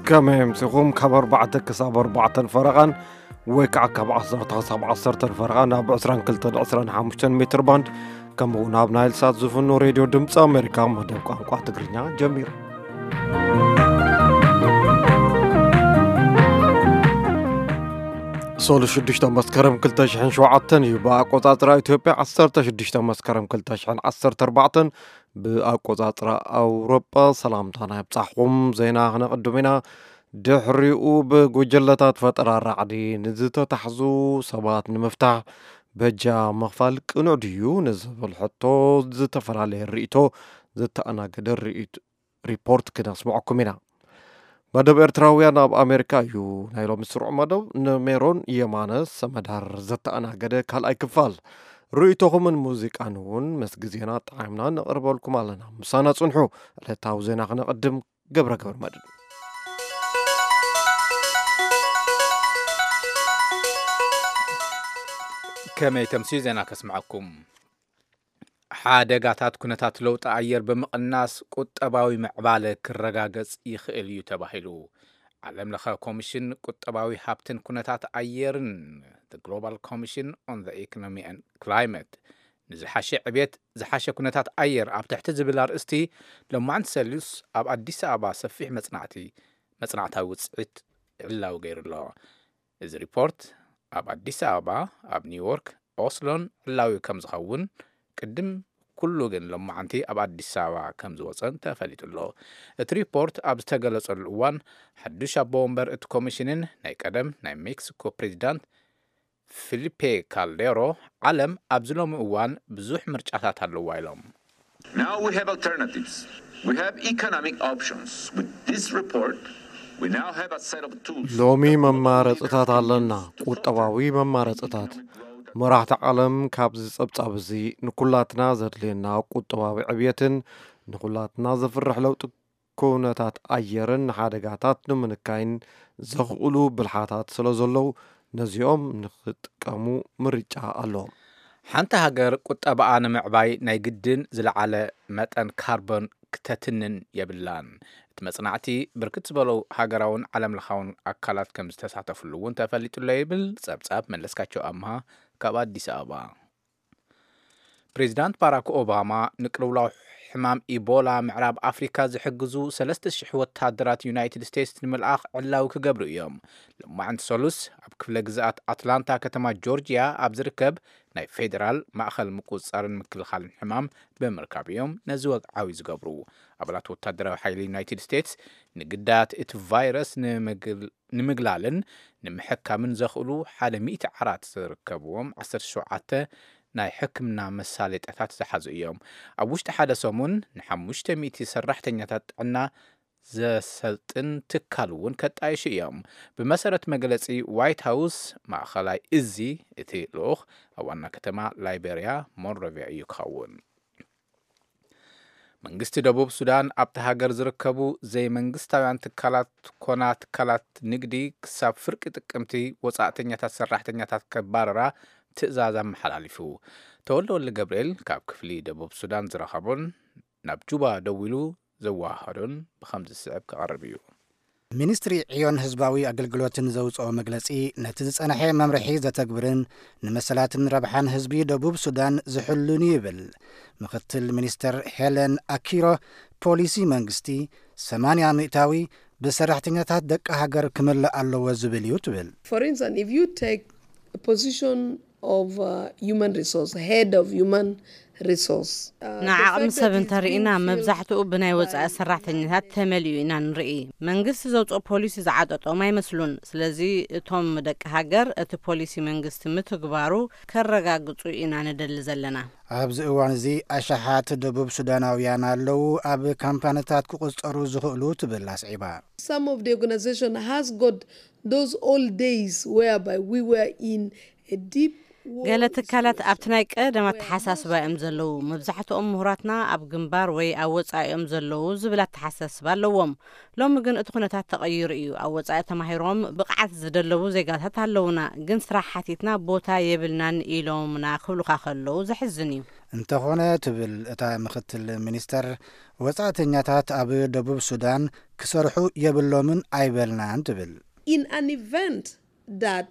ከመይ ኣምሲኹም? ካብ ኣርባዕተ ክሳብ ኣርባዕተን ፈረቓን ወይ ከዓ ካብ ዓሰርተ ክሳብ ዓሰርተን ፈረቓን ኣብ ዕስራን ክልተን ዕስራን ሓሙሽተን ሜትር ባንድ፣ ከምኡ እውን ኣብ ናይል ሳት ዝፍኖ ሬድዮ ድምፂ ኣሜሪካ መደብ ቋንቋ ትግርኛ ጀሚሩ። ሶሉ ሽዱሽተ መስከረም ክልተ ሽሕን ሸውዓተን እዩ። ብኣቆፃፅራ ኢትዮጵያ ዓሰርተ ሽዱሽተ መስከረም ክልተ ሽሕን ዓሰርተ ኣርባዕተን፣ ብኣቆፃፅራ ኣውሮጳ። ሰላምታና ይብፃሕኹም። ዜና ክነቕድም ኢና። ድሕሪኡ ብጉጅለታት ፈጠራ ራዕዲ ንዝተታሕዙ ሰባት ንምፍታሕ በጃ ምኽፋል ቅኑዕ ድዩ ንዝብል ሕቶ ዝተፈላለየ ርእይቶ ዘተኣናገደ ርእይቶ ሪፖርት ክነስምዐኩም ኢና። መደብ ኤርትራውያን ኣብ ኣሜሪካ እዩ ናይ ሎሚ ስሩዕ መደብ። ንሜሮን የማነ ሰመዳር ዘተኣናገደ ካልኣይ ክፋል። ርእይቶኹምን ሙዚቃን እውን ምስ ግዜና ጣዕምና ነቕርበልኩም ኣለና። ምሳና ጽንሑ። ዕለታዊ ዜና ክነቐድም ገብረ ገብረ መድን። ከመይ ተምስዩ ዜና ከስምዐኩም። ሓደጋታት ኩነታት ለውጢ ኣየር ብምቕናስ ቁጠባዊ ምዕባለ ክረጋገጽ ይኽእል እዩ ተባሂሉ። ዓለም ለኸ ኮሚሽን ቁጠባዊ ሃብትን ኩነታት ኣየርን፣ The Global Commission on the Economy and Climate፣ ንዝሓሸ ዕብየት፣ ዝሓሸ ኩነታት ኣየር ኣብ ትሕቲ ዝብል ኣርእስቲ፣ ሎማዕንቲ ሰሉስ ኣብ ኣዲስ ኣበባ ሰፊሕ መጽናዕቲ፣ መጽናዕታዊ ውጽኢት ዕላዊ ገይሩ ኣሎ። እዚ ሪፖርት ኣብ ኣዲስ ኣበባ፣ ኣብ ኒውዮርክ፣ ኦስሎን ዕላዊ ከም ዝኸውን፣ ቅድም ኩሉ ግን ሎማዓንቲ ኣብ ኣዲስ ኣበባ ከም ዝወጸን ተፈሊጡ ኣሎ። እቲ ሪፖርት ኣብ ዝተገለጸሉ እዋን፣ ሓዱሽ ኣቦ ወንበር እቲ ኮሚሽንን ናይ ቀደም ናይ ሜክሲኮ ፕሬዚዳንት ፊሊፔ ካልዴሮ፣ ዓለም ኣብዚ ሎሚ እዋን ብዙሕ ምርጫታት ኣለዋ ኢሎም። Now we have alternatives. We have economic options. With this report, we now have a set of tools. ሎሚ መማረፅታት ኣለና። ቁጠባዊ መማረፅታት። መራሕቲ ዓለም ካብዚ ጸብጻብ እዚ ንኩላትና ዘድልየና ቁጠባዊ ዕብየትን ንኩላትና ዘፍርሕ ለውጢ ኩነታት ኣየርን ንሓደጋታት ንምንካይን ዘኽእሉ ብልሓታት ስለ ዘለዉ፣ ነዚኦም ንኽጥቀሙ ምርጫ ኣለዎም። ሓንቲ ሃገር ቁጠባኣ ንምዕባይ ናይ ግድን ዝለዓለ መጠን ካርቦን ክተትንን የብላን። እቲ መጽናዕቲ፣ ብርክት ዝበሉ ሃገራውን ዓለምለኻውን ኣካላት ከም ዝተሳተፍሉ እውን ተፈሊጡ ኣሎ ይብል ጸብጻብ መለስካቸው ኣምሃ ካብ ኣዲስ ኣበባ። ፕሬዚዳንት ባራክ ኦባማ ንቅልውላው ሕማም ኢቦላ ምዕራብ ኣፍሪካ ዝሕግዙ ሰለስተ ሽሕ ወታደራት ዩናይትድ ስቴትስ ንምልኣኽ ዕላዊ ክገብሩ እዮም። ሎማዕንቲ ሰሉስ ኣብ ክፍለ ግዝኣት ኣትላንታ ከተማ ጆርጂያ ኣብ ዝርከብ ናይ ፌዴራል ማእኸል ምቁፅፃርን ምክልኻልን ሕማም ብምርካብ እዮም ነዚ ወግዓዊ ዝገብሩ። ኣባላት ወታደራዊ ሓይሊ ዩናይትድ ስቴትስ ንግዳያት እቲ ቫይረስ ንምግል-፣ ንምግላልን ንምሕካምን ዘኽእሉ ሓደ ሚእቲ ዓራት ዝርከብዎም ዓሰርተ ሸውዓተ ናይ ሕክምና መሳለጥያታት ዝሓዙ እዮም። ኣብ ውሽጢ ሓደ ሰሙን ንሓሙሽተ ሚእቲ ሰራሕተኛታት ጥዕና ዘሰልጥን ትካል እውን ከጣይሹ እዮም። ብመሰረት መግለጺ ዋይት ሃውስ ማእኸላይ እዚ፣ እቲ ልኡኽ ኣብ ዋና ከተማ ላይቤርያ ሞንሮቪያ እዩ ክኸውን። መንግስቲ ደቡብ ሱዳን ኣብቲ ሃገር ዝርከቡ ዘይመንግስታውያን ትካላት ኮና ትካላት ንግዲ ክሳብ ፍርቂ ጥቅምቲ ወጻእተኛታት ሰራሕተኛታት ከባረራ ትእዛዝ ኣመሓላሊፉ። ተወልደ ወልደ ገብርኤል ካብ ክፍሊ ደቡብ ሱዳን ዝረኸቦን ናብ ጁባ ደዊሉ ዘወሃሃዶን ብኸምዚ ዝስዕብ ክቐርብ እዩ። ሚኒስትሪ ዕዮን ህዝባዊ ኣገልግሎትን ዘውፅኦ መግለፂ፣ ነቲ ዝፀንሐ መምርሒ ዘተግብርን ንመሰላትን ረብሓን ህዝቢ ደቡብ ሱዳን ዝሕሉን እዩ ይብል። ምክትል ሚኒስትር ሄለን ኣኪሮ፣ ፖሊሲ መንግስቲ ሰማንያ ሚእታዊ ብሰራሕተኛታት ደቂ ሃገር ክመልእ ኣለዎ ዝብል እዩ ትብል። For instance, if you take a position of uh, human resource, head of human resource, uh, the ንዓቕሚ fact ሰብ that it's እንተርኢና being filled መብዛሕትኡ ብናይ by ወጻኢ ሰራሕተኛታት ተመሊኡ ኢና ንርኢ። መንግስቲ ዘውፅኦ ፖሊሲ ዝዓጠጦም ኣይመስሉን። ስለዚ እቶም ደቂ ሃገር እቲ ፖሊሲ መንግስቲ ምትግባሩ ከረጋግፁ ኢና ንደሊ ዘለና። ኣብዚ እዋን እዚ ኣሽሓት ደቡብ ሱዳናውያን ኣለዉ ኣብ ካምፓኒታት ክቑጸሩ ዝኽእሉ ትብል ኣስዒባ። Some of the organization has got those old days whereby we were in a deep ገለ ትካላት ኣብቲ ናይ ቀደም ኣተሓሳስባ እዮም ዘለዉ። መብዛሕትኦም ምሁራትና ኣብ ግንባር ወይ ኣብ ወጻኢ እዮም ዘለዉ ዝብል ኣተሓሳስባ ኣለዎም። ሎሚ ግን እቲ ኩነታት ተቐይሩ እዩ። ኣብ ወጻኢ ተማሂሮም ብቕዓት ዝደለቡ ዜጋታት ኣለዉና፣ ግን ስራሕ ሓቲትና ቦታ የብልናን ኢሎምና ክብሉኻ ከለዉ ዘሕዝን እዩ። እንተኾነ፣ ትብል እታ ምክትል ሚኒስተር፣ ወጻእተኛታት ኣብ ደቡብ ሱዳን ክሰርሑ የብሎምን ኣይበልናን ትብል። In an event that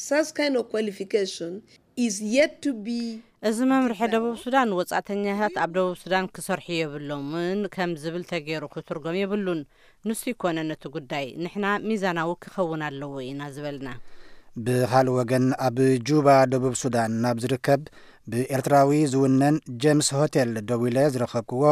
such kind of qualification is yet to be እዚ መምርሒ ደቡብ ሱዳን ወጻእተኛታት ኣብ ደቡብ ሱዳን ክሰርሑ የብሎምን ከም ዝብል ተገይሩ ክትርጎም የብሉን። ንሱ ይኮነ ነቲ ጉዳይ፣ ንሕና ሚዛናዊ ክኸውን ኣለዎ ኢና ዝበልና። ብኻልእ ወገን፣ ኣብ ጁባ ደቡብ ሱዳን ናብ ዝርከብ ብኤርትራዊ ዝውነን ጀምስ ሆቴል ደዊለ ዝረኸብክዎ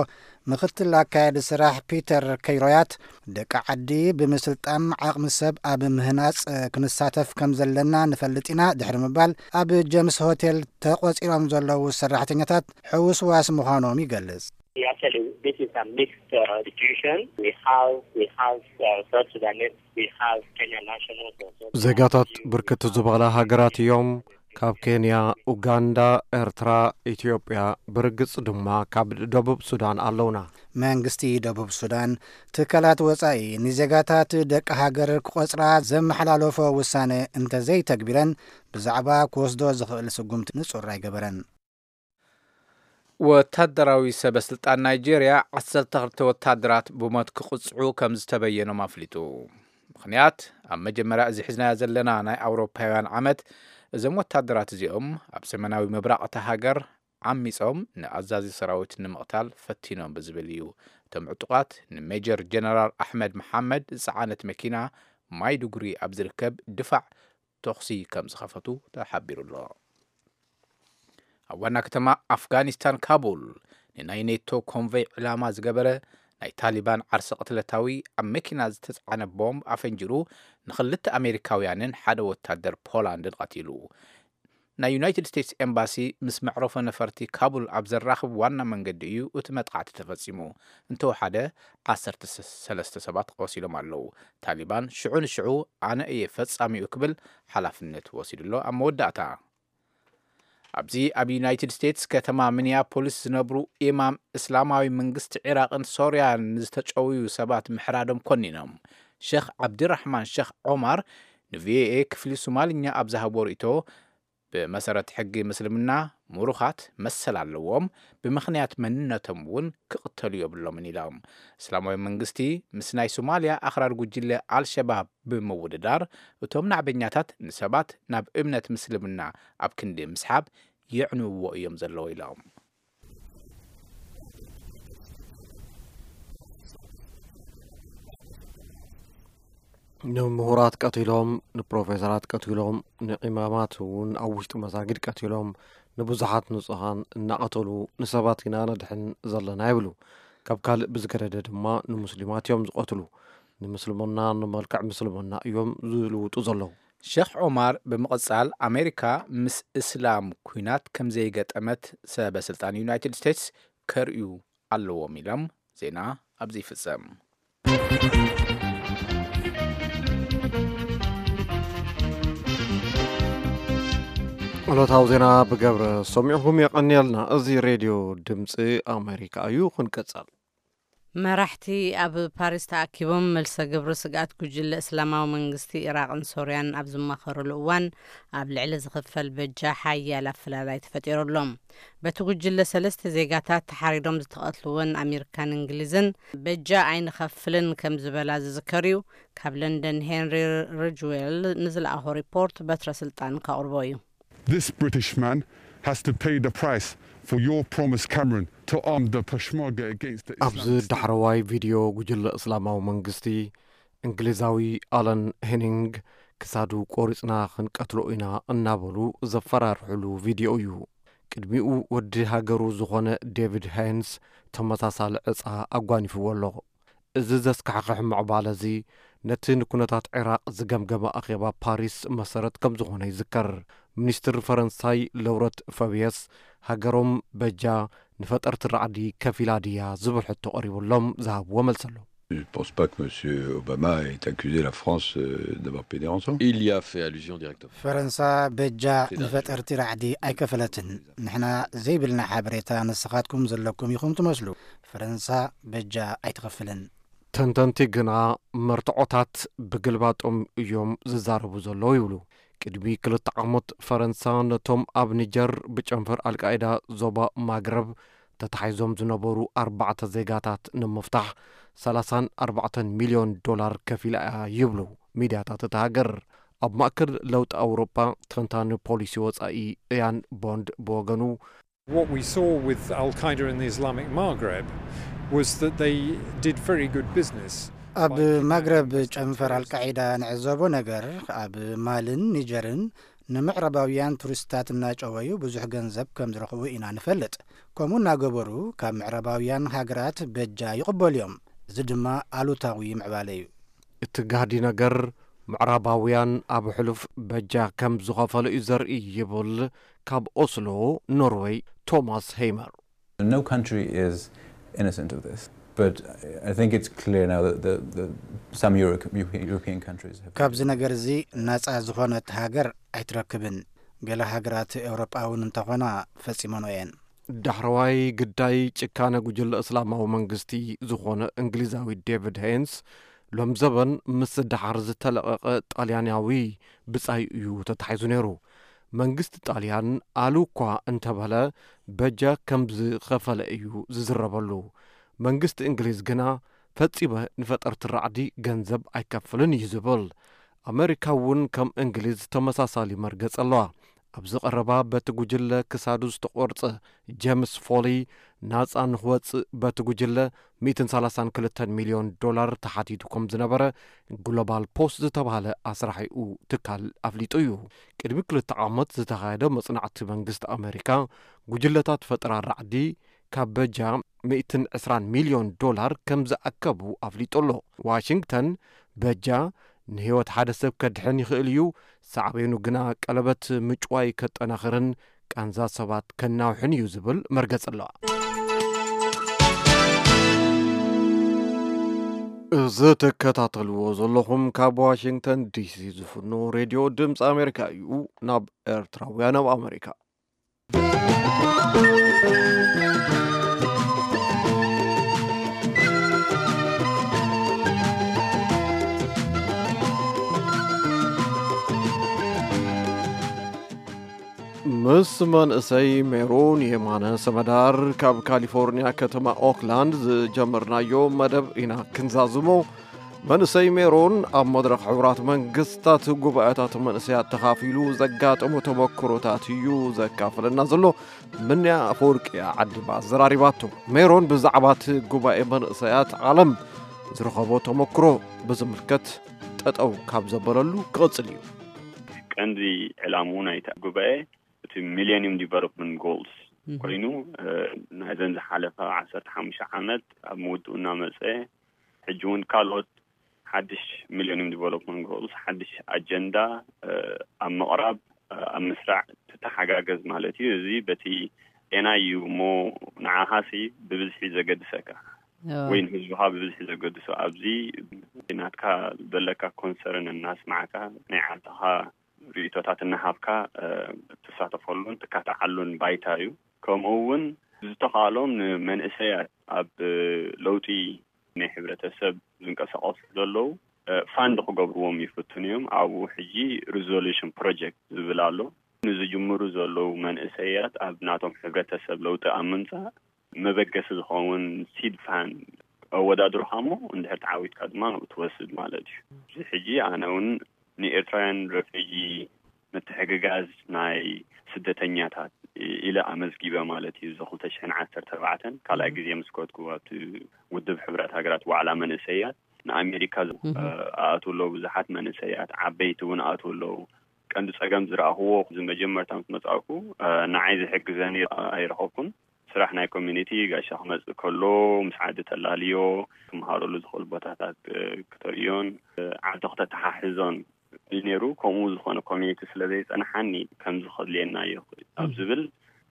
ምክትል ኣካያዲ ስራሕ ፒተር ከይሮያት፣ ደቂ ዓዲ ብምስልጣን ዓቕሚ ሰብ ኣብ ምህናጽ ክንሳተፍ ከም ዘለና ንፈልጥ ኢና ድሕሪ ምባል፣ ኣብ ጀምስ ሆቴል ተቖጺሮም ዘለዉ ሰራሕተኛታት ሕውስዋስ ምዃኖም ይገልጽ። Actually, this is a mixed uh, situation. We have we have uh, South Sudanese, we have Kenyan nationals also. ዜጋታት ብርክት ዝበላ ሃገራት እዮም። ካብ ኬንያ፣ ኡጋንዳ፣ ኤርትራ፣ ኢትዮጵያ፣ ብርግጽ ድማ ካብ ደቡብ ሱዳን ኣለውና። መንግስቲ ደቡብ ሱዳን፣ ትካላት ወጻኢ ንዜጋታት ደቂ ሃገር ክቆጽራ ዘመሓላለፎ ውሳነ እንተዘይተግቢረን፣ ብዛዕባ ክወስዶ ዝኽእል ስጉምቲ ንጹር ኣይገበረን። ወታደራዊ ሰበ ስልጣን ናይጄርያ ዓሰርተ ክልተ ወታደራት ብሞት ክቕጽዑ ከም ዝተበየኖም ኣፍሊጡ። ምኽንያት፣ ኣብ መጀመርያ እዚ ሒዝናዮ ዘለና ናይ ኣውሮፓውያን ዓመት፣ እዞም ወታደራት እዚኦም ኣብ ሰሜናዊ ምብራቕ እታ ሃገር ዓሚጾም ንኣዛዚ ሰራዊት ንምቕታል ፈቲኖም ብዝብል እዩ። እቶም ዕጡቓት ንሜጀር ጀነራል ኣሕመድ መሓመድ ዝጸዓነት መኪና ማይዱጉሪ ኣብ ዝርከብ ድፋዕ ተኹሲ ከም ዝኸፈቱ ተሓቢሩ ኣሎ። ኣብ ዋና ከተማ ኣፍጋኒስታን ካቡል፣ ንናይ ኔቶ ኮንቮይ ዕላማ ዝገበረ ናይ ታሊባን ዓርሰ ቅትለታዊ ኣብ መኪና ዝተጻዕነ ቦምብ ኣፈንጂሩ ንኽልተ ኣሜሪካውያንን ሓደ ወታደር ፖላንድን ቀቲሉ። ናይ ዩናይትድ ስቴትስ ኤምባሲ ምስ መዕረፎ ነፈርቲ ካቡል ኣብ ዘራኽብ ዋና መንገዲ እዩ እቲ መጥቃዕቲ ተፈጺሙ። እንተወሓደ ዓሰርተ ሰለስተ ሰባት ቆሲሎም ኣለዉ። ታሊባን ሽዑ ንሽዑ ኣነ እየ ፈጻሚኡ ክብል ሓላፍነት ወሲዱ ኣሎ። ኣብ መወዳእታ፣ ኣብዚ ኣብ ዩናይትድ ስቴትስ ከተማ ሚኒያፖሊስ ዝነብሩ ኢማም እስላማዊ መንግስቲ ዒራቕን ሶርያን ንዝተጨውዩ ሰባት ምሕራዶም ኮኒኖም። ሸኽ ዓብዲራሕማን ሸኽ ዖማር ንቪኦኤ ክፍሊ ሶማልኛ ኣብ ዝሃቦ ርእይቶ፣ ብመሰረት ሕጊ ምስልምና ምሩኻት መሰል ኣለዎም፣ ብምኽንያት መንነቶም እውን ክቕተሉ የብሎምን ኢሎም። እስላማዊ መንግስቲ ምስ ናይ ሶማልያ ኣኽራር ጉጅለ ኣልሸባብ ብምውድዳር፣ እቶም ናዕበኛታት ንሰባት ናብ እምነት ምስልምና ኣብ ክንዲ ምስሓብ የዕንውዎ እዮም ዘለዉ ኢሎም። ንምሁራት ቀቲሎም፣ ንፕሮፌሰራት ቀቲሎም፣ ንኢማማት እውን ኣብ ውሽጢ መሳጊድ ቀቲሎም፣ ንብዙሓት ንጹሃን እናቐተሉ ንሰባት ኢና ነድሕን ዘለና ይብሉ። ካብ ካልእ ብዝገደደ ድማ ንሙስሊማት እዮም ዝቐትሉ። ንምስልምና ንመልክዕ ምስልምና እዮም ዝልውጡ ዘለዉ። ሸኽ ዖማር ብምቕጻል፣ ኣሜሪካ ምስ እስላም ኲናት ከም ዘይገጠመት ሰበ ስልጣን ዩናይትድ ስቴትስ ከርእዩ ኣለዎም ኢሎም። ዜና ኣብዚ ይፍጸም። ዕለታዊ ዜና ብገብረ ሰሚዕኹም የቐንየልና። እዚ ሬድዮ ድምፂ ኣሜሪካ እዩ። ክንቀጸል። መራሕቲ ኣብ ፓሪስ ተኣኪቦም መልሰ ግብሪ ስግኣት ጉጅለ እስላማዊ መንግስቲ ኢራቕን ሶርያን ኣብ ዝማኸሩሉ እዋን፣ ኣብ ልዕሊ ዝኽፈል በጃ ሓያል ኣፈላላይ ተፈጢሩ ኣሎ። በቲ ጉጅለ ሰለስተ ዜጋታት ተሓሪዶም ዝተቐትልወን ኣሜሪካን እንግሊዝን በጃ ኣይንኸፍልን ከም ዝበላ ዝዝከር እዩ። ካብ ለንደን ሄንሪ ሪጅዌል ንዝለኣኾ ሪፖርት በትረ ስልጣን ከቕርቦ እዩ። This British man has to pay the price for your promise, Cameron, to arm the Peshmerga against the ኣብዚ Islamist State. ዳሕረዋይ ቪድዮ ጉጅለ እስላማዊ መንግስቲ፣ እንግሊዛዊ ኣለን ሄኒንግ ክሳዱ ቆሪጽና ክንቀትሎ ኢና እናበሉ ዘፈራርሕሉ ቪድዮ እዩ። ቅድሚኡ ወዲ ሃገሩ ዝኾነ ዴቪድ ሃይንስ ተመሳሳሊ ዕጻ ኣጓኒፍዎ ኣሎ። እዚ ዘስካሕክሕ ምዕባለ እዚ ነቲ ንኩነታት ዒራቕ ዝገምገመ ኣኼባ ፓሪስ መሰረት ከም ዝኾነ ይዝከር። ሚኒስትር ፈረንሳይ ለውረት ፈብየስ፣ ሃገሮም በጃ ንፈጠርቲ ራዕዲ ከፊላ ድያ ዝብል ሕቶ ቀሪቡሎም ዝሃብዎ መልሲ ኣሎ። Je ne pense pas que M. Obama ait accusé la France euh, d'avoir payé des rançons. Il y a fait allusion directement. ፈረንሳ በጃ ንፈጠርቲ ራዕዲ ኣይከፈለትን። ንሕና ዘይብልና ሓበሬታ ንስኻትኩም ዘለኩም ኢኹም ትመስሉ። ፈረንሳ በጃ ኣይትኸፍልን። ተንተንቲ ግና መርትዖታት ብግልባጦም እዮም ዝዛረቡ ዘለዉ ይብሉ። ቅድሚ ክልተ ዓመት ፈረንሳ ነቶም ኣብ ኒጀር ብጨንፈር ኣልቃይዳ ዞባ ማግረብ ተታሒዞም ዝነበሩ ኣርባዕተ ዜጋታት ንምፍታሕ ሰላሳን ኣርባዕተን ሚልዮን ዶላር ከፊላ እያ ይብሉ ሚድያታት እታ ሃገር። ኣብ ማእከል ለውጢ ኣውሮጳ ተንታኒ ፖሊሲ ወጻኢ እያን ቦንድ ብወገኑ፣ What we saw with Al Qaeda in the Islamic Maghreb was that they did very good business. ኣብ ማግረብ ጨንፈር ኣልቃዒዳ ንዕዘቦ ነገር፣ ኣብ ማልን ኒጀርን ንምዕራባውያን ቱሪስታት እናጨወዩ ብዙሕ ገንዘብ ከም ዝረኽቡ ኢና ንፈልጥ። ከምኡ እናገበሩ ካብ ምዕራባውያን ሃገራት በጃ ይቕበሉ እዮም። እዚ ድማ ኣሉታዊ ምዕባለ እዩ። እቲ ጋህዲ ነገር፣ ምዕራባውያን ኣብ ሕሉፍ በጃ ከም ዝኸፈሉ እዩ ዘርኢ ይብል ካብ ኦስሎ ኖርወይ ቶማስ ሄይመር። No country is innocent of this, but I think it's clear now that the, the, some Euro- European countries have. ካብዚ ነገር እዚ ናጻ ዝኾነት ሃገር ኣይትረክብን። ገለ ሃገራት ኤውሮጳ እውን እንተኾና ፈጺመኖ እየን። ዳሕረዋይ ግዳይ ጭካነ ጉጅለ እስላማዊ መንግስቲ ዝኾነ እንግሊዛዊ ዴቪድ ሄንስ፣ ሎም ዘበን ምስ ደሓር ዝተለቐቐ ጣልያናዊ ብጻይ እዩ ተታሒዙ ነይሩ። መንግስቲ ጣልያን ኣሉ እኳ እንተበለ፣ በጃ ከም ዝኸፈለ እዩ ዝዝረበሉ። መንግስቲ እንግሊዝ ግና፣ ፈጺመ ንፈጠርቲ ራዕዲ ገንዘብ ኣይከፍልን እዩ ዝብል። ኣመሪካ እውን ከም እንግሊዝ ተመሳሳሊ መርገጽ ኣለዋ። ኣብዚ ቀረባ በቲ ጉጅለ ክሳዱ ዝተቖርጸ ጀምስ ፎሊ ናጻ ንኽወጽእ በቲ ጉጅለ ሚእትን ሰላሳን ክልተን ሚልዮን ዶላር ተሓቲቱ ከም ዝነበረ ግሎባል ፖስት ዝተባህለ ኣስራሒኡ ትካል ኣፍሊጡ እዩ። ቅድሚ ክልተ ዓመት ዝተኻየደ መጽናዕቲ መንግስቲ ኣመሪካ፣ ጉጅለታት ፈጠራ ራዕዲ ካብ በጃ ሚእትን ዕስራን ሚልዮን ዶላር ከም ዝኣከቡ ኣፍሊጡ ኣሎ። ዋሽንግተን በጃ ንህይወት ሓደ ሰብ ከድሕን ይኽእል እዩ፣ ሳዕቤኑ ግና ቀለበት ምጭዋይ ከጠናኽርን ቃንዛ ሰባት ከናውሕን እዩ ዝብል መርገጽ ኣለዋ። እዚ ትከታተልዎ ዘለኹም ካብ ዋሽንግተን ዲሲ ዝፍኖ ሬድዮ ድምፂ ኣሜሪካ እዩ። ናብ ኤርትራውያን ኣብ ኣሜሪካ። ምስ መንእሰይ ሜሮን የማነ ሰመዳር ካብ ካሊፎርኒያ ከተማ ኦክላንድ ዝጀመርናዮ መደብ ኢና ክንዛዝሞ። መንእሰይ ሜሮን ኣብ መድረኽ ሕቡራት መንግስታት ጉባኤታት መንእሰያት ተኻፊሉ ዘጋጠሞ ተመክሮታት እዩ ዘካፍለና ዘሎ። ምንያ ኣፈወርቂ ዓድባ ኣዘራሪባቶ። ሜሮን ብዛዕባ እቲ ጉባኤ መንእሰያት ዓለም ዝረኸቦ ተመክሮ ብዝምልከት ጠጠው ካብ ዘበለሉ ክቕጽል እዩ። ቀንዲ ዕላምኡ ናይቲ ጉባኤ እቲ ሚሌኒየም ዲቨሎፕመንት ጎልስ ኮይኑ ናይዘን ዝሓለፈ ዓሰርተ ሓሙሽተ ዓመት ኣብ ምውድኡ እናመፀ ሕጂ እውን ካልኦት ሓድሽ ሚሌኒየም ዲቨሎፕመንት ጎልስ ሓድሽ ኣጀንዳ ኣብ ምቕራብ ኣብ ምስራዕ ትተሓጋገዝ ማለት እዩ። እዚ በቲ ጤና እዩ እሞ ንዓኻሲ ብብዝሒ ዘገድሰካ ወይ ንህዝብኻ ብብዝሒ ዘገድሶ ኣብዚ ናትካ ዘለካ ኮንሰርን እናስማዕካ ናይ ዓድኻ ርእቶታት እናሃብካ ትሳተፈሉን ትካትዓሉን ባይታ እዩ። ከምኡ እውን ዝተኻእሎም ንመንእሰያት ኣብ ለውጢ ናይ ሕብረተሰብ ዝንቀሳቐሱ ዘለዉ ፋንድ ክገብርዎም ይፍትኑ እዮም። ኣብኡ ሕጂ ሪዞሉሽን ፕሮጀክት ዝብል ኣሎ። ንዝጅምሩ ዘለዉ መንእሰያት ኣብ ናቶም ሕብረተሰብ ለውጢ ኣብ ምምፃእ መበገሲ ዝኸውን ሲድ ፋንድ ኣወዳድሩኻ እሞ እንድሕር ተዓዊትካ ድማ ንኡ ትወስድ ማለት እዩ። እዚ ሕጂ ኣነ እውን ንኤርትራውያን ረፊጂ ምትሕግጋዝ ናይ ስደተኛታት ኢለ ኣመዝጊበ ማለት እዩ። እዚ ክልተ ሽሕን ዓሰርተ ኣርባዕተን ካልኣይ ግዜ ምስ ከድኩ ኣብቲ ውድብ ሕብረት ሃገራት ዋዕላ መንእሰያት ንኣሜሪካ ኣእትው ኣለዉ። ብዙሓት መንእሰያት ዓበይቲ እውን ኣእትው ኣለዉ። ቀንዲ ጸገም ዝረኣኽዎ እዚ መጀመርታ ምስ መጻእኩ ንዓይ ዝሕግዘኒ ኣይረኸብኩን። ስራሕ ናይ ኮሚኒቲ ጋሻ ክመጽእ ከሎ ምስ ዓዲ ተላልዮ ክመሃረሉ ዝኽእሉ ቦታታት ክተርእዮን ዓዲ ክተተሓሕዞን እዩ ነይሩ። ከምኡ ዝኾነ ኮሚኒቲ ስለ ዘይጸንሓኒ ከምዚ ከድልየና እዩ ኣብ ዝብል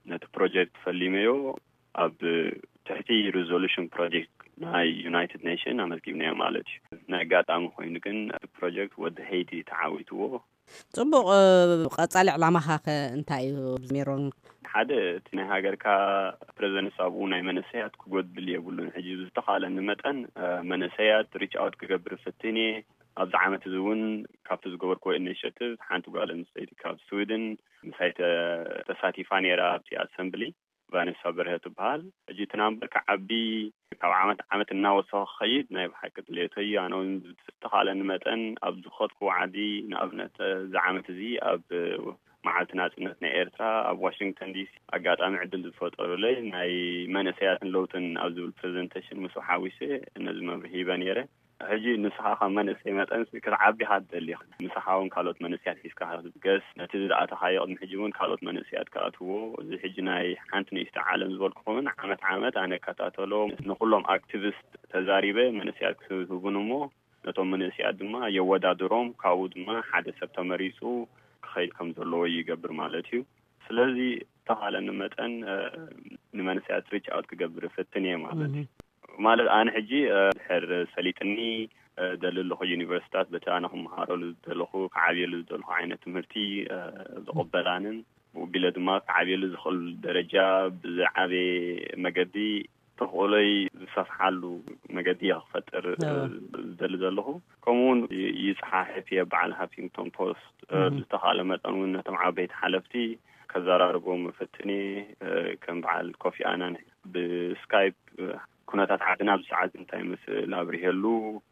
ነቲ ፕሮጀክት ፈሊመዮ። ኣብ ትሕቲ ሪዞሉሽን ፕሮጀክት ናይ ዩናይትድ ኔሽን ኣመዝጊብናዮ ማለት እዩ። ናይ ኣጋጣሚ ኮይኑ ግን እቲ ፕሮጀክት ወዲ ሄይቲ ተዓዊትዎ። ጽቡቕ። ቀጻሊ ዕላማኻ ከ እንታይ እዩ? ሜሮን፣ ሓደ እቲ ናይ ሃገርካ ፕሬዚደንት ኣብኡ ናይ መንእሰያት ክጎድል የብሉን። ሕጂ ዝተኻለኒ መጠን መንእሰያት ሪች ኣውት ክገብር ፍትን እየ። ኣብዚ ዓመት እዚ እውን ካብቲ ዝገበርክዎ ኢኒሽቲቭ ሓንቲ ጓል ኣንስተይቲ ካብ ስዊድን ምሳይ ተሳቲፋ ነይራ ኣብቲ ኣሰምብሊ። ቫነሳ በርሀ ትበሃል። ሕጂ እቲ ናምበር ክዓቢ ካብ ዓመት ዓመት እናወሰኸ ክኸይድ ናይ ብሓቂ ድሌተይ እዩ። ኣነ እውን ዝተኻለኒ መጠን ኣብ ዝኸድኩዎ ዓዲ፣ ንኣብነት እዚ ዓመት እዚ ኣብ መዓልቲ ናጽነት ናይ ኤርትራ ኣብ ዋሽንግተን ዲሲ ኣጋጣሚ ዕድል ዝፈጠሩለይ ናይ መንእሰያትን ለውጥን ኣብ ዝብል ፕሬዘንቴሽን ምስ ሓዊሰ ነዚ መብርሂ ሂበ ነይረ። ሕጂ ንስኻ ካብ መንእሰይ መጠን ክትዓቢ ኢኻ ትደሊ። ምሳኻ እውን ካልኦት መንእሰያት ሒዝካ ክትብገስ፣ ነቲ ዝኣተኻዮ ቅድሚ ሕጂ እውን ካልኦት መንእሰያት ክኣትዎ፣ እዚ ሕጂ ናይ ሓንቲ ንእሽቶ ዓለም ዝበልኩኹምን ዓመት ዓመት ኣነ እከታተሎ፣ ንኩሎም ኣክቲቪስት ተዛሪበ መንእሰያት ክህቡን እሞ ነቶም መንእሰያት ድማ የወዳድሮም፣ ካብኡ ድማ ሓደ ሰብ ተመሪጹ ክኸይድ ከም ዘለዎ ይገብር ማለት እዩ። ስለዚ ተኻለኒ መጠን ንመንእሰያት ሪች ኣውት ክገብር እፈትን እየ ማለት እዩ። ማለት ኣነ ሕጂ ድሕር ሰሊጥኒ ደሊ ኣለኹ ዩኒቨርሲታት በቲ ኣነ ክመሃረሉ ዝደለኹ ክዓብየሉ ዝደለኹ ዓይነት ትምህርቲ ዝቕበላንን ብኡቢለ ድማ ክዓብየሉ ዝኽእል ደረጃ ብዝዓበየ መገዲ ተኽእሎይ ዝሰፍሓሉ መገዲ እየ ክፈጥር ዝደሊ ዘለኹ። ከምኡ እውን ይፅሓሕፍ እየ በዓል ሃፊንግቶን ፖስት ብዝተኻለ መጠን እውን ነቶም ዓበይቲ ሓለፍቲ ከዘራርቦም እፍትን እየ። ከም በዓል ኮፊ ኣናን ብስካይፕ ኩነታት ዓድና ኣብዚ ሰዓት እንታይ ይመስል ኣብሪሀሉ፣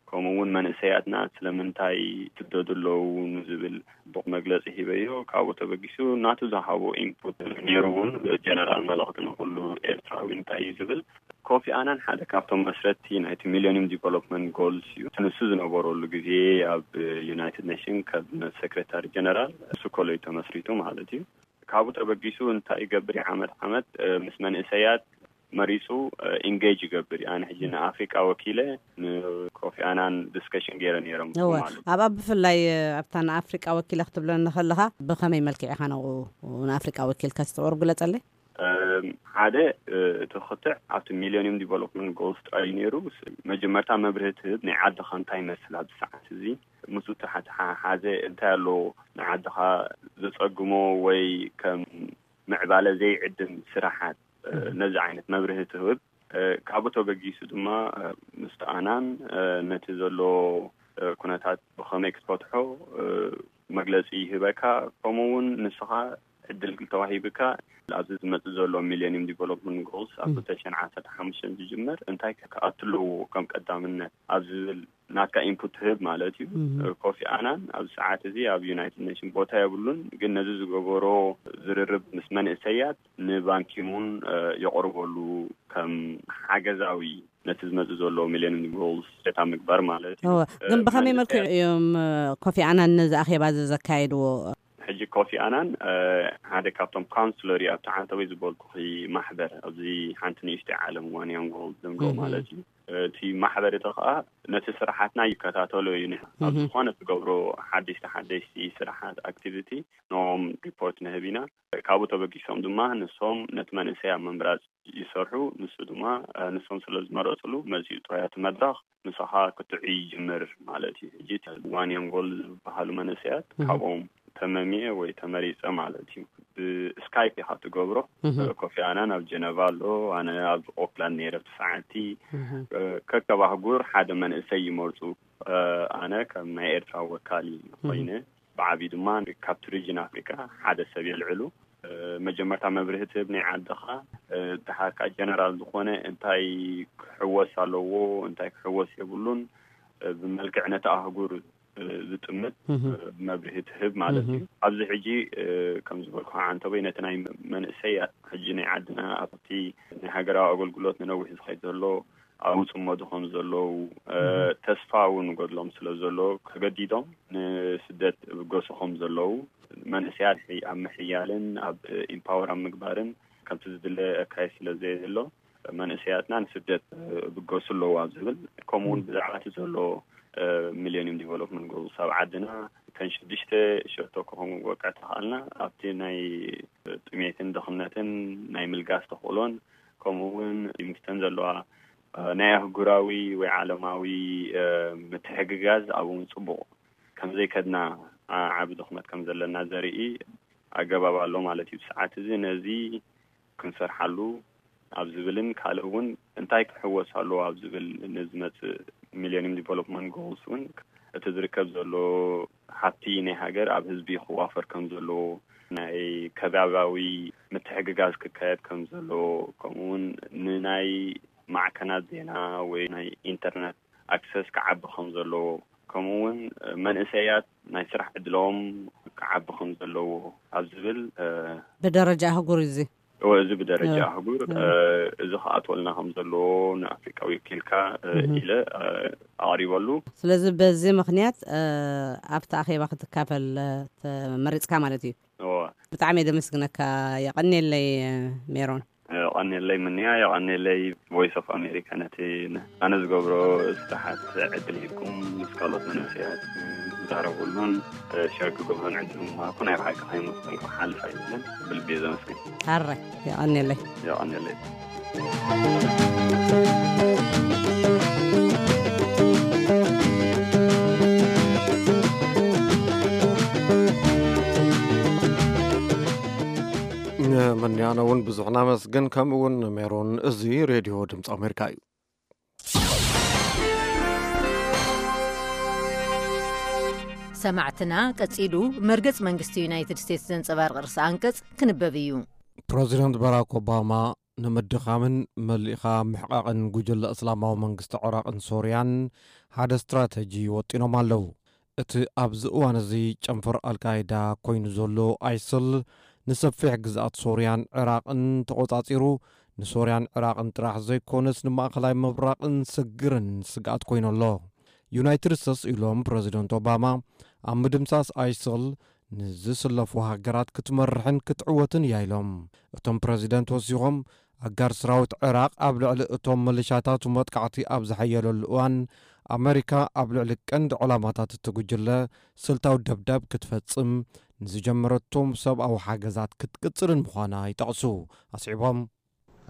ከምኡ እውን መንእሰያትና ስለምንታይ ይስደዱ ኣለዉ ንዝብል ጽቡቕ መግለጺ ሂበዮ። ካብኡ ተበጊሱ ናቱ ዝሃቦ ኢንፑት ነይሩ እውን ጀነራል መልእኽቲ ንኩሉ ኤርትራዊ እንታይ እዩ ዝብል። ኮፊ ኣናን ሓደ ካብቶም መስረትቲ ናይቲ ሚሊኒየም ዲቨሎፕመንት ጎልስ እዩ። እቲ ንሱ ዝነበረሉ ግዜ ኣብ ዩናይትድ ኔሽን ካቢነት ሴክሬታሪ ጀነራል እሱ ኮሎ እዩ ተመስሪቱ ማለት እዩ። ካብኡ ተበጊሱ እንታይ ይገብር እዩ? ዓመት ዓመት ምስ መንእሰያት መሪፁ ኢንጌጅ ይገብር እዩ። ኣነ ሕጂ ንኣፍሪቃ ወኪለ ንኮፊ ኣናን ዲስከሽን ገይረ ነይሮም እወ ማለት ኣብ ኣብ ብፍላይ ኣብታ ንኣፍሪቃ ወኪለ ክትብለኒ ከለኻ ብኸመይ መልክዕ ኢኻ ንኡ ንኣፍሪቃ ወኪልካ ዝተቕርብ ግለፀለይ። ሓደ እቲ ክትዕ ኣብቲ ሚሊኒየም ዲቨሎፕመንት ጎልስ ጥራይ ነይሩ። መጀመርታ መብርሂ ትህብ ናይ ዓድኻ እንታይ ይመስል ኣብዚ ሰዓት እዚ ምስኡ ተሓሓሓዘ እንታይ ኣሎ ንዓድኻ ዘጸግሞ ወይ ከም ምዕባለ ዘይዕድም ስራሓት ነዚ ዓይነት መብርሂ ትህብ። ካብኡ ተበጊሱ ድማ ምስቲ ኣናን ነቲ ዘሎ ኩነታት ብኸመይ ክትፈትሖ መግለጺ ይህበካ። ከምኡ እውን ንስኻ ዕድል ተዋሂብካ ኣብዚ ዝመጽእ ዘሎ ሚሊኒየም ዲቨሎፕመንት ጎልስ ኣብ ክልተ ሽሕን ዓሰርተ ሓሙሽተን ዝጅመር እንታይ ክኣቱ ኣለዎ ከም ቀዳምነት ኣብ ዝብል ናትካ ኢንፑት ትህብ ማለት እዩ። ኮፊ ኣናን ኣብዚ ሰዓት እዚ ኣብ ዩናይትድ ኔሽን ቦታ የብሉን፣ ግን ነዚ ዝገበሮ ዝርርብ ምስ መንእሰያት ንባንኪሙን የቕርበሉ ከም ሓገዛዊ ነቲ ዝመጽእ ዘሎ ሚሊዮን ጎልስ ሴታ ምግባር ማለት እዩ። እወ፣ ግን ብኸመይ መልክዕ እዮም ኮፊ ኣናን ነዚ ኣኼባ እዚ ዘካየድዎ? ሕጂ ኮፊ ኣናን ሓደ ካብቶም ካውንስለር እዩ ኣብቲ ዓንተወይ ዝበልኩኺ ማሕበር ኣብዚ ሓንቲ ንእሽተይ ዓለም ዋን ያንግ ጎልስ ዝምዶ ማለት እዩ። እቲ ማሕበር እቲ ከዓ ነቲ ስራሓትና ይከታተሎ እዩ። ኣብ ዝኾነ ትገብሮ ሓደሽቲ ሓደሽቲ ስራሓት ኣክቲቪቲ ንኦም ሪፖርት ንህብ ኢና። ካብኡ ተበጊሶም ድማ ንሶም ነቲ መንእሰይ ኣብ ምምራፅ ይሰርሑ። ንሱ ድማ ንሶም ስለ ዝመረፅሉ መፂኡ ጥራይ እቲ መድረኽ ምሳኻ ክትዑ ይጅምር ማለት እዩ። ሕጂ ዋን ያንግ ጎልስ ዝበሃሉ መንእሰያት ካብኦም ተመሚየ ወይ ተመሪፀ ማለት እዩ። ብስካይፕ ኢኻ ትገብሮ። ኮፊ ኣናን ኣብ ጀነቫ ኣሎ፣ ኣነ ኣብ ኦክላንድ ነይረ ብቲ ሰዓቲ። ከከብ ኣህጉር ሓደ መንእሰይ ይመርፁ። ኣነ ከም ናይ ኤርትራ ወካሊ ኮይነ ብዓብዩ ድማ ካብቲ ሪጅን ኣፍሪካ ሓደ ሰብ የልዕሉ። መጀመርታ መብርሂ ትህብ ናይ ዓድኻ፣ ድሓር ከዓ ጀነራል ዝኾነ እንታይ ክሕወስ ኣለዎ እንታይ ክሕወስ የብሉን ብመልክዕ ነቲ ኣህጉር ዝጥምት መብርሂ ትህብ ማለት እዩ። ኣብዚ ሕጂ ከም ዝበልኩ ዓንተቦይ ነቲ ናይ መንእሰይ ሕጂ ናይ ዓድና ኣብቲ ናይ ሃገራዊ ኣገልግሎት ንነዊሕ ዝኸይድ ዘሎ ኣብኡ ፅመዱ ከም ዘለዉ ተስፋ እውን ጎድሎም ስለ ዘሎ ተገዲዶም ንስደት ብገሱ ከም ዘለዉ መንእሰያት ኣብ ምሕያልን ኣብ ኢምፓወር ኣብ ምግባርን ከምቲ ዝድለ ኣካየድ ስለ ዘየሎ መንእሰያትና ንስደት ብገሱ ኣለዉ ኣብ ዝብል ከምኡ እውን ብዛዕባ እቲ ዘሎ ሚሊኒየም ዲቨሎፕመንት ጎልስ ኣብ ዓድና እተን ሽዱሽተ ሸቶ ክኾኑ ወቅዕ ተኽኣልና ኣብቲ ናይ ጥሜትን ድኽነትን ናይ ምልጋስ ተኽእሎን ከምኡ እውን ምስተን ዘለዋ እ፣ ናይ ኣህጉራዊ ወይ ዓለማዊ፣ እ፣ ምትሕግጋዝ ኣብኡ እውን ጽቡቕ ከም ዘይከድና፣ ዓ-፣ ዓቢ ድኽመት ከም ዘለና ዘርኢ ኣገባብ ኣሎ ማለት እዩ። እቲ ሰዓት እዚ ነዚ ክንሰርሓሉ ኣብ ዝብልን ካልእ እውን እንታይ ክሕወስ ኣለዎ ኣብ ዝብል ንዝመጽእ ሚሌኒየም ዲቨሎፕመንት ጎልስ እውን እቲ ዝርከብ ዘሎ ሃብቲ ናይ ሃገር ኣብ ህዝቢ ክዋፈር ከም ዘለዎ፣ ናይ ከባብያዊ ምትሕግጋዝ ክካየድ ከም ዘለዎ፣ ከምኡ እውን ንናይ ማዕከናት ዜና ወይ ናይ ኢንተርነት ኣክሰስ ክዓቢ ከም ዘለዎ፣ ከምኡ እውን መንእሰያት ናይ ስራሕ ዕድሎም ክዓቢ ከም ዘለዎ ኣብ ዝብል፣ እ፣ ብደረጃ ኣህጉር እዩ እዚ። እወ፣ እዚ ብደረጃ እወ። ኣህጉር፣ እወ። እ፣ እዚ ክኣትወልና ከም ዘለዎ ንኣፍሪቃ ወኪልካ፣ እ፣ እህ። ኢለ፣ እ፣ ኣቕሪበሉ። ስለዚ በዚ ምኽንያት፣ እ፣ ኣብቲ ኣኼባ ክትካፈል፣ እ፣ ተመሪጽካ ማለት እዩ። እወ። ብጣዕሚ እየ ዘመስግነካ። የቐንየለይ፣ እ፣ ሜሮን። የቐንየለይ ምንያ፣ የቐንየለይ ቮይስ ኦፍ ኣሜሪካ ነቲ ን-፣ ኣነ ዝገብሮ ስራሓት ዕድል ሂብኩም ምስ ካልኦት መንእሰያት ዝዛረቡሉን ሸር ክገብሩን ዕድል ምሃብኩ ናይ ብሓቂ ከይመስገንኩም ክሓልፍ ኣይደልን። ብልቢ እየ ዘመስግን። ሕራይ፣ የቐንየለይ። የቐንየለይ። ንምንያና እውን ብዙሕ ነመስግን፣ ከምኡ እውን ንሜሮን። እዚ ሬድዮ ድምፂ ኣሜሪካ እዩ። ሰማዕትና፣ ቀጺሉ መርገጽ መንግስቲ ዩናይትድ ስቴትስ ዘንጸባርቕ ርእሰ ኣንቀጽ ክንበብ እዩ። ፕረዚደንት ባራክ ኦባማ ንምድኻምን መሊእኻ ምሕቓቕን ጉጅለ እስላማዊ መንግስቲ ዒራቕን ሶርያን ሓደ ስትራተጂ ወጢኖም ኣለዉ። እቲ ኣብዚ እዋን እዚ ጨንፈር ኣልቃይዳ ኮይኑ ዘሎ ኣይስል፣ ንሰፊሕ ግዝኣት ሶርያን ዒራቕን ተቖጻጺሩ፣ ንሶርያን ዒራቕን ጥራሕ ዘይኮነስ፣ ንማእከላይ ምብራቕን ስግርን ስግኣት ኮይኑ ኣሎ። ዩናይትድ ስቴትስ፣ ኢሎም ፕረዚደንት ኦባማ፣ ኣብ ምድምሳስ ኣይስል ንዝስለፉ ሃገራት ክትመርሕን ክትዕወትን እያ፣ ኢሎም። እቶም ፕረዚደንት ወሲኾም፣ ኣጋር ሰራዊት ዒራቕ ኣብ ልዕሊ እቶም መሊሻታቱ መጥቃዕቲ ኣብ ዝሓየለሉ እዋን፣ ኣመሪካ ኣብ ልዕሊ ቀንዲ ዕላማታት እቲ ጉጅለ ስልታዊ ደብዳብ ክትፈጽም፣ ንዝጀመረቶም ሰብኣዊ ሓገዛት ክትቅጽልን ምዃና ይጠቕሱ። ኣስዒቦም፣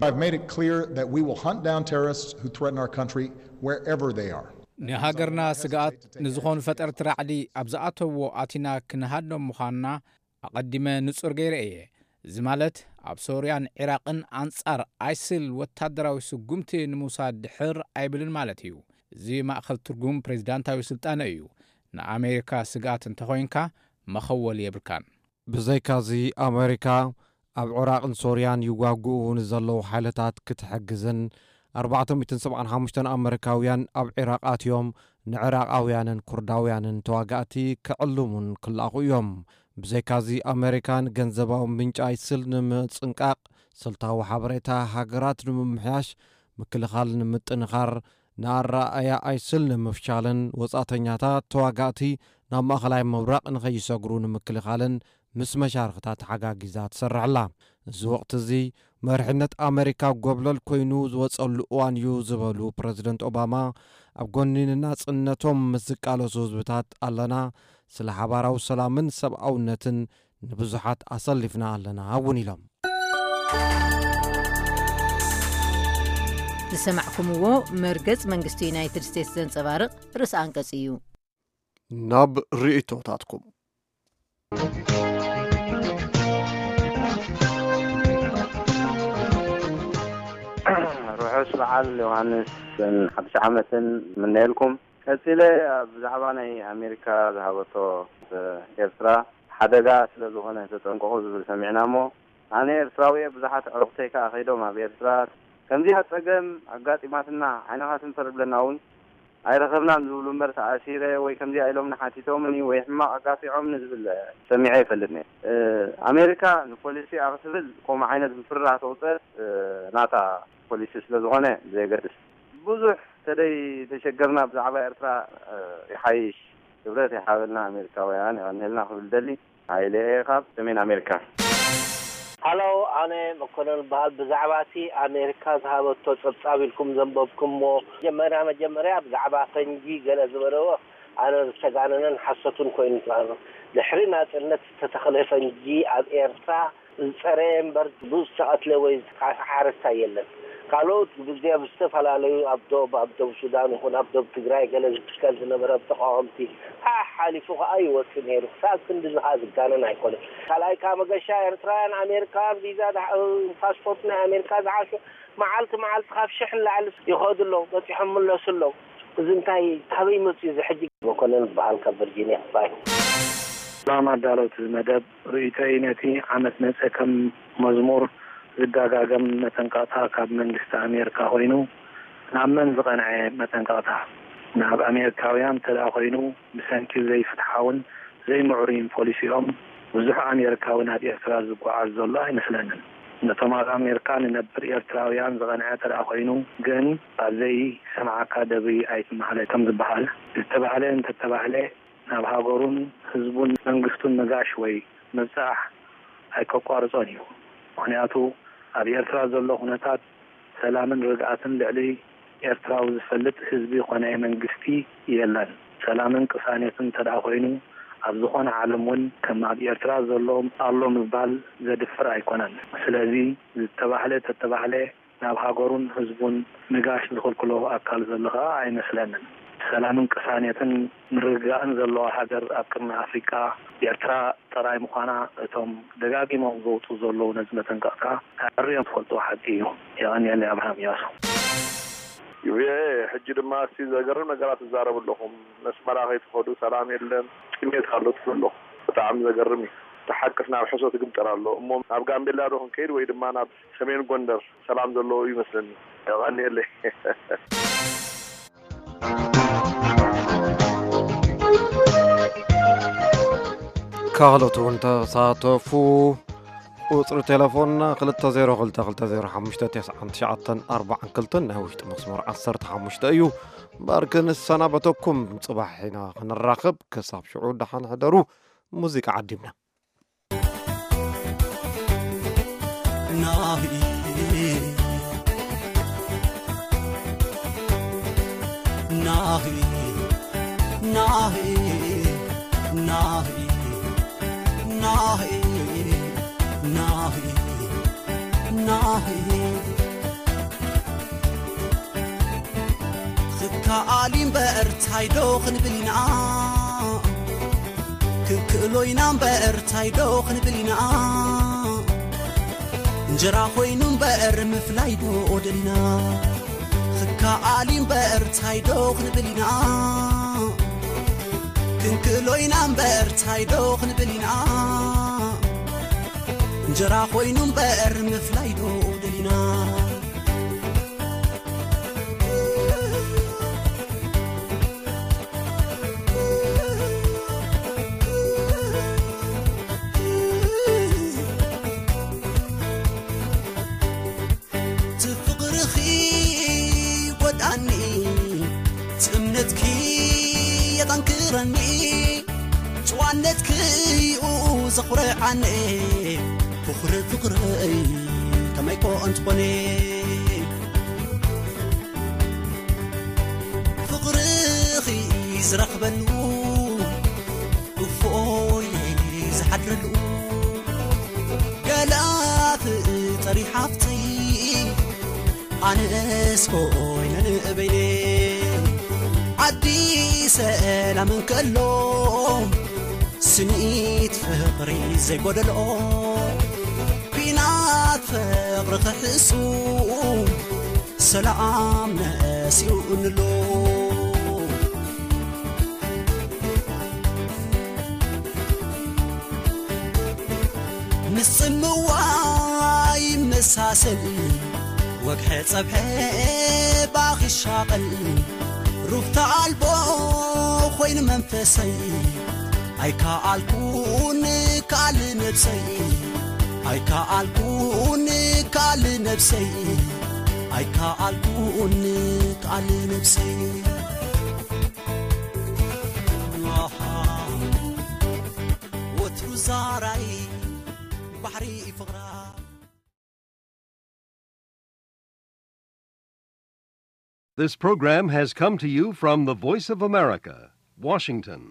I've made it clear that we will hunt down terrorists who threaten our country wherever they are. ንሃገርና ስግኣት ንዝኾኑ ፈጠርቲ ራዕዲ ኣብ ዝኣተውዎ ኣቲና ክንሃድኖም ምዃንና ኣቐዲመ ንጹር ገይረ እየ። እዚ ማለት፣ ኣብ ሶርያን ዒራቕን ኣንጻር ኣይስል ወታደራዊ ስጉምቲ ንምውሳድ ድሕር ኣይብልን ማለት እዩ። እዚ ማእከል ትርጉም ፕሬዚዳንታዊ ስልጣነ እዩ። ንኣሜሪካ ስግኣት እንተኾይንካ፣ መኸወሊ የብልካን። ብዘይካዚ፣ ኣሜሪካ ኣብ ዒራቕን ሶርያን ይዋግኡ ንዘለዉ ሓይልታት ክትሕግዝን፣ ኣርባዕተ ሚእትን ሰብዓን ሓሙሽተን ኣመሪካውያን ኣብ ዒራቕ ኣትዮም ንዒራቓውያንን ኩርዳውያንን ተዋጋእቲ ክዕልሙን ክለኣኹ እዮም። ብዘይካዚ፣ ኣመሪካ ንገንዘባዊ ምንጪ ኣይስል ንምጽንቃቕ፣ ስልታዊ ሓበሬታ ሃገራት ንምምሕያሽ፣ ምክልኻል ንምጥንኻር፣ ንኣረኣእያ ኣይስል ንምፍሻልን ወጻእተኛታት ተዋጋእቲ ናብ ማእከላይ ምብራቕ ንኸይሰግሩ ንምክልኻልን ምስ መሻርኽታ ተሓጋጊዛ ትሰርሕ ኣላ። እዚ ወቕቲ እዚ መሪሕነት ኣመሪካ ጎብለል ኮይኑ ዝወጸሉ እዋን እዩ ዝበሉ ፕረዚደንት ኦባማ፣ ኣብ ጎኒ ንናጽነቶም ምስ ዝቃለሱ ህዝብታት ኣለና፣ ስለ ሓባራዊ ሰላምን ሰብኣውነትን ንብዙሓት ኣሰሊፍና ኣለና እውን ኢሎም። ዝሰማዕኩምዎ መርገጽ መንግስቲ ዩናይትድ ስቴትስ ዘንጸባርቕ ርእሰ ኣንቀጽ እዩ። ናብ ርእይቶታትኩም። ርሑስ በዓል ዮሃንስን ሓድሽ ዓመትን ምነየልኩም። ቀጺለ፣ ኣብ ብዛዕባ ናይ ኣሜሪካ ዝሃበቶ ኤርትራ ሓደጋ ስለ ዝኾነ ተጠንቀቑ ዝብል ሰሚዕና እሞ፣ ኣነ ኤርትራዊ እየ፣ ብዙሓት ኣዕሩኽተይ ከኣ ከይዶም ኣብ ኤርትራ። ከምዚኣ ጸገም ኣጋጢማትና፣ ዓይንኻ ትንፈር ዝብለና እውን ኣይረኸብናን ዝብሉ እምበር፣ ተኣሲረ ወይ ከምዚኣ ኢሎምኒ ሓቲቶምኒ ወይ ሕማቕ ኣጋጢዖምኒ ዝብል ሰሚዐ ኣይፈልጥን እየ። እ፣ ኣሜሪካ ንፖሊሲኣ ክትብል ከምኡ ዓይነት ምፍርራህ ተውጽእ፣ እ፣ ናታ ፖሊሲ ስለ ዝኾነ ብዘየገድስ። ብዙሕ ተደይ ተሸገርና ብዛዕባ ኤርትራ፣ እ፣ ይሓይሽ። ክብረት ይሓበልና ኣሜሪካውያን፣ የቐንየልና ክብል ደሊ። ሃይለ ካብ ሰሜን ኣሜሪካ። ሃሎ፣ ኣነ መኮነን በሃል። ብዛዕባ እቲ ኣሜሪካ ዝሃበቶ ጸብጻብ ኢልኩም ዘንበብኩምዎ፣ መጀመርያ መጀመርያ ብዛዕባ ፈንጂ ገለ ዝበለዎ ኣነ ዝተጋነነን ሓሶትን ኮይኑ ተቐርብ። ድሕሪ ናጽነት ዝተተኽለ ፈንጂ ኣብ ኤርትራ ዝጸረየ እምበር ብዝተቐትለ ወይ ዝተኻስሐ ሓረስታይ የለን። ካልኦት ብዝያ ብዝተፈላለዩ ኣብ ዶብ ኣብ ዶብ ሱዳን ይኹን ኣብ ዶብ ትግራይ ገለ ዝትከል ዝነበረ ተቃወምቲ ሓሓሊፉ ከዓ ይወፅእ ነይሩ። ክሳብ ክንዲ ዝኻ ዝጋነን ኣይኮነን። ካልኣይ ከዓ መገሻ ኤርትራውያን ኣሜሪካውያን ቪዛ ፓስፖርት ናይ ኣሜሪካ ዝሓሹ መዓልቲ መዓልቲ ካብ ሽሕ ንላዕሊ ይኸዱ ኣለዉ፣ በፂሖም ምለሱ ኣለዉ። እዚ እንታይ ካበይ መፅኡ እዚ ሕጂ? መኮነን ዝበሃል ካብ ቨርጂኒያ ባይ። ሰላም ኣዳለውቲ መደብ፣ ርእይቶይ ነቲ ዓመት መጸ ከም መዝሙር ዝደጋገም መጠንቀቕታ ካብ መንግስቲ ኣሜሪካ ኮይኑ፣ ናብ መን ዝቐንዐ መጠንቀቕታ? ናብ ኣሜሪካውያን እንተደኣ ኮይኑ፣ ብሰንኪ ዘይፍትሓውን ዘይምዕሩይን ፖሊሲኦም፣ ብዙሕ ኣሜሪካዊ ናብ ኤርትራ ዝጓዓዝ ዘሎ ኣይመስለንን። ነቶም ኣብ ኣሜሪካ ንነብር ኤርትራውያን ዝቐንዐ እንተደኣ ኮይኑ ግን፣ ኣብ ዘይሰምዓካ ደብሪ ኣይትመሃለ ከም ዝበሃል፣ ዝተባህለ እንተተባህለ፣ ናብ ሃገሩን ህዝቡን መንግስቱን ምጋሽ ወይ ምብጻሕ ኣይከቋርጾን እዩ። ምኽንያቱ ኣብ ኤርትራ ዘሎ ኩነታት ሰላምን ርግኣትን ልዕሊ ኤርትራዊ ዝፈልጥ ህዝቢ ኮነ መንግስቲ የለን። ሰላምን ቅሳኔትን እንተደኣ ኮይኑ ኣብ ዝኾነ ዓለም እውን ከም ኣብ ኤርትራ ዘሎ ኣሎ ምባል ዘድፍር ኣይኮነን። ስለዚ ዝተባህለ ተተባህለ ናብ ሃገሩን ህዝቡን ምጋሽ ዝኽልክሎ ኣካል ዘሎ ከኣ ኣይመስለንን። ሰላምን ቅሳኔትን ምርግጋእን ዘለዋ ሃገር ኣብ ቅርኒ ኣፍሪቃ ኤርትራ ጥራይ ምዃና እቶም ደጋጊሞም ዘውጽኡ ዘለዉ ነዚ መጠንቀቕታ ኣዕርዮም ዝፈልጥዎ ሓቂ እዩ። የቐንየለይ ኣብርሃም እያሱ። ቪኦኤ፣ ሕጂ ድማ እስቲ ዘገርም ነገራት ትዛረቡ ኣለኹም። ነስመራ ከይትኸዱ ሰላም የለን፣ ጥሜት ኣሎ ትብሉ ኣለኹም። ብጣዕሚ ዘገርም እዩ። እቲ ሓቅስ ናብ ሕሶት ይግምጠር ኣሎ። እሞ ናብ ጋምቤላ ዶ ክንከይድ ወይ ድማ ናብ ሰሜን ጎንደር ሰላም ዘለዎ እዩ ይመስለኒ። የቐንየለይ። ካልኦት እውን ተሳተፉ። ቁጽሪ ቴሌፎንና ክልተ ዜሮ ክልተ ክልተ ዜሮ ሓሙሽተ ተስዓን ትሽዓተን ኣርባዓን ክልተን፣ ናይ ውሽጢ መስመር ዓሰርተ ሓሙሽተ እዩ። እምበኣር ክንሰናበተኩም፣ ጽባሕ ኢና ክንራኸብ። ክሳብ ሽዑ ደሓን ሕደሩ። ሙዚቃ ዓዲምና። ናሂ፣ ናሂ፣ ናሂ፣ ናሂ፣ ናሂ፣ ናሂ፣ ናሂ። ክከኣል እምበር ታይ ዶ ክንብል ኢና? ክንክእሎ ኢና እምበር ታይ ዶ ክንብል ኢና? እንጀራ ኮይኑ እምበር ምፍላይ ዶ ደሊና? ክከኣል እምበር ታይ ዶ ክንብል ኢና? ክንክእሎ ኢና እምበር ታይ ዶ ክንብል ኢና? እንጀራ ኮይኑ እምበር ምፍላይ ዶ ደሊና? ትፍቕርኺ ይጎድኣኒ፣ ትእምነትኪ የጠንክረኒ፣ ጭዋነትኪ እዩ ዘኹርዓኒ። ፍቕሪ ፍቕረይ ከመይ ኮ እንትኾነ፣ ፍቕርኺ ዝረኽበሉ እፎይ ዝሓድረሉ፣ ገለ ፍጠሪ ሓፍተይ ኣነስ ኮይነ ንበይነይ። ዓዲ ሰላም እንከሎ ስኒት ፍቕሪ ዘይጎደሎ፣ ኲናት ፍቕሪ ክሕሱ ሰላም ነሲኡ እንሎ። ምስ ጽምዋ ይመሳሰል፣ ወግሐ ጸብሐ ባኺ ሻቐል፣ ሩፍታ ኣልቦ ኮይኑ መንፈሰይ። ኣይከኣልኩን ክኣል ነብሰይ፣ ኣይከኣልኩን ክኣል ነብሰይ፣ ኣይከኣልኩን ክኣል ነብሰይ። ኣሃ፣ ወትሩ ዛራይ ባሕሪ ፍቕራ። This program has come to you from the Voice of America, Washington.